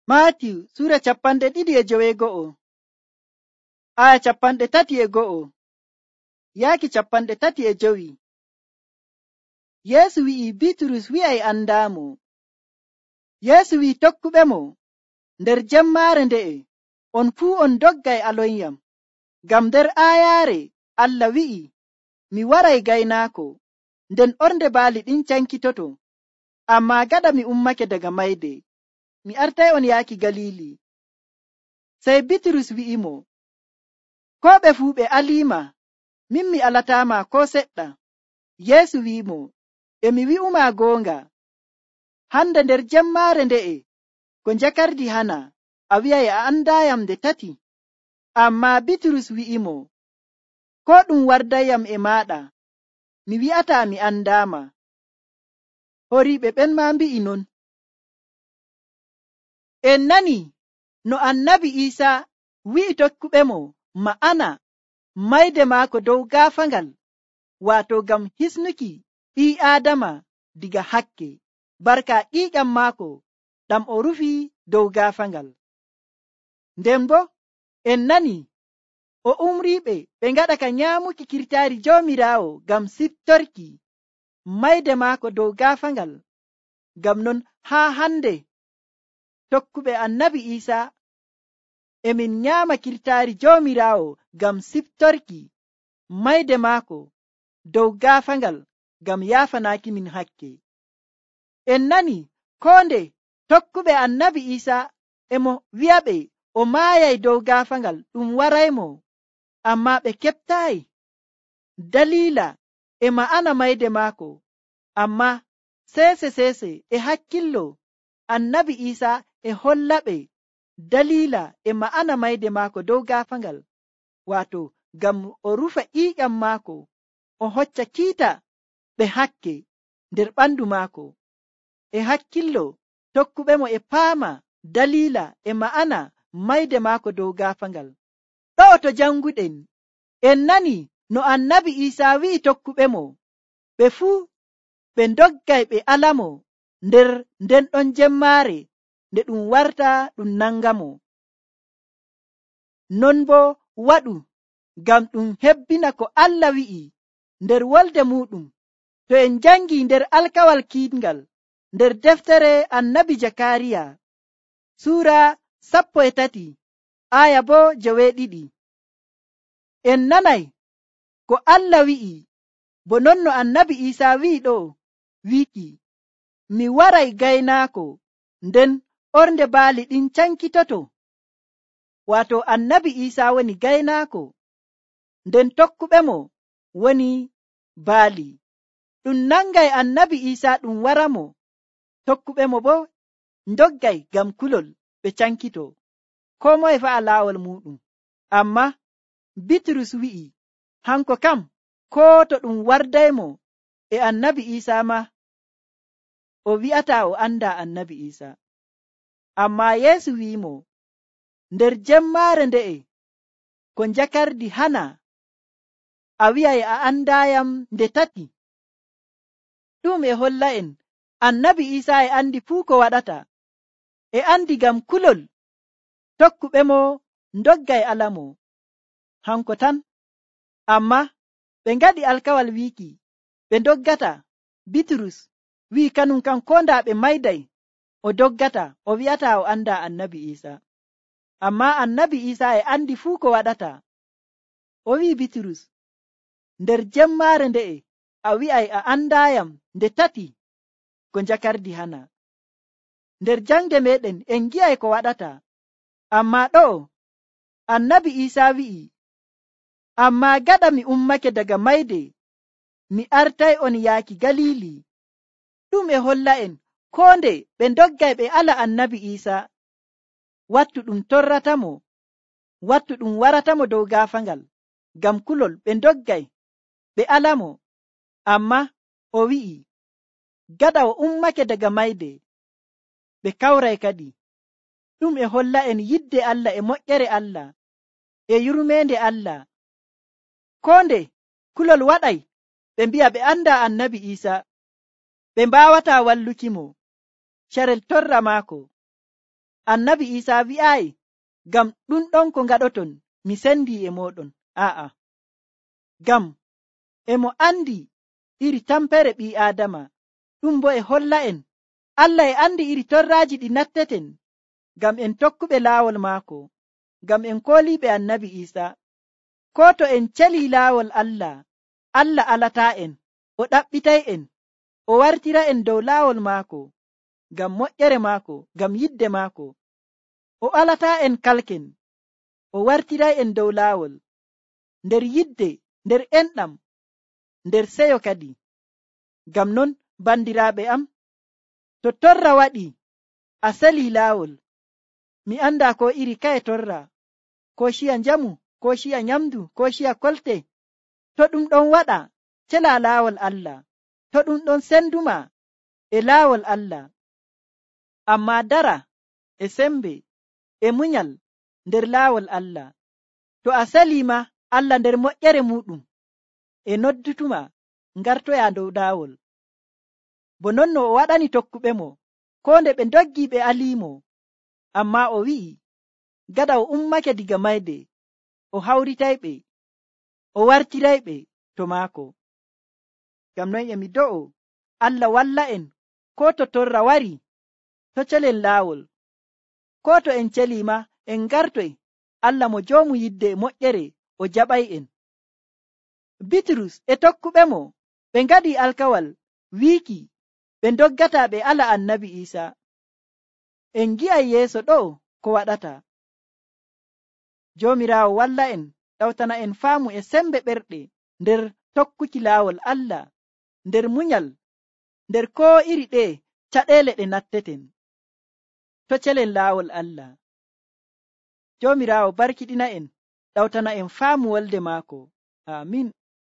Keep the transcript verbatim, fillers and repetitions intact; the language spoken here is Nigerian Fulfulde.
Maatiyu Sura capanɗe ɗiɗi e joweego'o, aya capanɗe tati e go'o, yaaki capanɗe tati e jowi. Yeesu wi'i Bitrus wi'ay andaamo. Yeesu wi'i tokkuɓemo, nder jemmaare nde'e, on fuu on doggay alonyam, ngam nder aayaare Allah wi'i, mi waray gaynaako, nden ornde baali ɗin cankitoto. Ammaa gaɗa mi ummake daga mayde, mi artay on yaaki Galili. Sey Bitrus wi'imo, koo ɓe fuu ɓe aliima, min mi alataama koo seɗɗa. Yeesu wi'imo, e mi wi'umaa goonga, hande nder jemmaare nde'e ko njakardi hana, a wi'ay a andaayam nde tati. Ammaa Bitrus wi'imo, koo ɗum wardayyam e maaɗa, mi wi'ataa mi andaama. Horiiɓe ɓen maa mbi'i non. En nani no annabi Iisaa wi'i tokkuɓemo ma'ana mayde maako dow gaafaangal, waato ngam hisnuki ɓii Aadama diga hakke, barka ƴiiƴam maako ɗam o rufi dow gaafaangal. Nden bo en nani o umriiɓe ɓe ngaɗa ka nyaamuki kirtaari Joomiraawo ngam siftorki mayde maako dow gaafaangal. Ngam non haa hande tokkuɓe annabi Iisaa emin nyaama kirtaari Joomiraawo ngam siftorki mayde maako dow gaafaangal ngam yaafanaaki min hakke. En nani koo nde tokkuɓe annabi Iisaa emo wi'aɓe o maayay dow gaafaangal ɗum waraymo, ammaa ɓe keɓtaayi daliila e ma'ana mayde maako. Ammaa seese seese e hakkillo annabi Iisaa e hollaɓe daliila e ma'ana mayde maako dow gaafaangal, waato ngam o rufa ƴiiƴam maako, o hocca kiita ɓe hakke nder ɓandu maako. E hakkillo tokkuɓemo e paama daliila e ma'ana mayde maako dow gaafaangal. Ɗo'o to janguɗen en nani no annabi Iisaa wi'i tokkuɓemo ɓe fuu ɓe doggay ɓe alamo nder nden ɗon jemmaare nde ɗum warta ɗum nangamo. Non bo waɗu ngam ɗum hebbina ko Allah wi'i nder wolde muɗum. To en jangi nder alkawal kiiɗngal nder deftere annabi Jakariya suura sappo e tati aya bo joweeɗiɗi, en nanay ko Allah wi'i, bo non no annabi Iisaa wi'i ɗo wiiki, mi waray gaynaako, nden ornde baali ɗin cankitoto. Waato annabi Iisaa woni gaynaako, nden tokkuɓemo woni baali. Ɗum nangay annabi Iisaa ɗum waramo, tokkuɓemo bo ndoggay ngam kulol ɓe cankito, koo moye fa'a laawol muɗum. Ammaa Bitrus wi'i, hanko kam koo to ɗum wardaymo e annabi Iisaa ma, o wi'ataa o anda annabi Iisaa. Ammaa Yeesu wi'imo, nder jemmaare nde'e ko njakardi hana, a wi'ay a andaayam nde tati. Ɗum e holla en annabi Iisaa e andi fuu ko waɗata, e andi ngam kulol tokkuɓemo ndoggay alamo hanko tan. Ammaa ɓe ngaɗi alkawal wiiki ɓe doggata. Bitrus wi'i kanum kan koo ndaa ɓe mayday o doggata, o wi'ata o anda annabi Iisaa. Ammaa annabi Iisaa e andi fuu ko waɗata. O wi'i Bitrus, nder jemmaare nde'e a wi'ay a andaayam nde tati ko njakardi hana. Nder jangde meɗen en gi'ay ko waɗata. Ammaa ɗo'o annabi Iisaa wi'i, ammaa gaɗa mi ummake daga mayde, mi artay on yaaki Galili. Ɗum e holla en koo nde ɓe doggay ɓe ala annabi Iisaa, wattu ɗum torratamo, wattu ɗum waratamo dow gaafaangal, ngam kulol ɓe doggay ɓe alamo. Ammaa o wi'i, gaɗa o ummake daga mayde, ɓe kawray kadi. Ɗum e holla en yidde Allah e moƴƴere Allah e yurmeende Allah. Koo nde kulol waɗay ɓe mbi'a ɓe anda annabi Iisaa, ɓe mbaawataa wallukimo carel torra maako. annabi Isa wi'aayi, ngam ɗum ɗon ko ngaɗoton mi sendi e moɗon. A'a, ngam emo andi iri tampere ɓii Aadama, ɗum bo e holla en Allah e andi iri torraaji ɗi natteten ngam en tokkuɓe laawol maako, ngam en kooliiɓe annabi Isa. Ko to en celii laawol Allah, Allah alataa en, o ɗaɓɓitay en, o wartira en dow laawol maako, ngam moƴƴere maako, ngam yidde maako. O alataa en kalken, o wartiray en dow laawol, nder yidde, nder enɗam, nder seyo kadi. Ngam non, bandiraaɓe am, to torra waɗi a selii laawol, mi anda ko iri kaye torra, ko ciya njamu, ko ciya nyamdu, ko ciya kolte, to ɗum ɗon waɗa cela laawol Allah, to ɗum ɗon senduma e laawol Allah, amma dara e sembe e munyal nder laawol Allah. To a seliima Allah nder moƴƴere muɗum e noddutuma ngartoya dow laawol, bo non no o waɗani tokkuɓe mo, ko nde ɓe ndoggi ɓe aliimo, amma o wi'i gada o ummake diga mayde, o hawritayɓe, o wartirayɓe to maako. Ngam non emi do'o Allah walla en, ko to torra wari to celen laawol, ko to en celiima en ngartoy Allah mo joomu yidde e moƴƴere o jaɓay en. Bitrus e tokkuɓe mo ɓe ngaɗi alkawal wiiki ɓe ndoggata ɓe ala annabi Isa. En gi'ay yeeso ɗo ko waɗata. Joomiraawo walla en, ɗawtana en faamu e sembe ɓerɗe nder tokkuki laawol Allah, nder munyal, nder koo iri ɗe caɗeele ɗe natteten to celen laawol Allah. Joomiraawo barkiɗina en, ɗawtana en faamu wolde maako. Amin.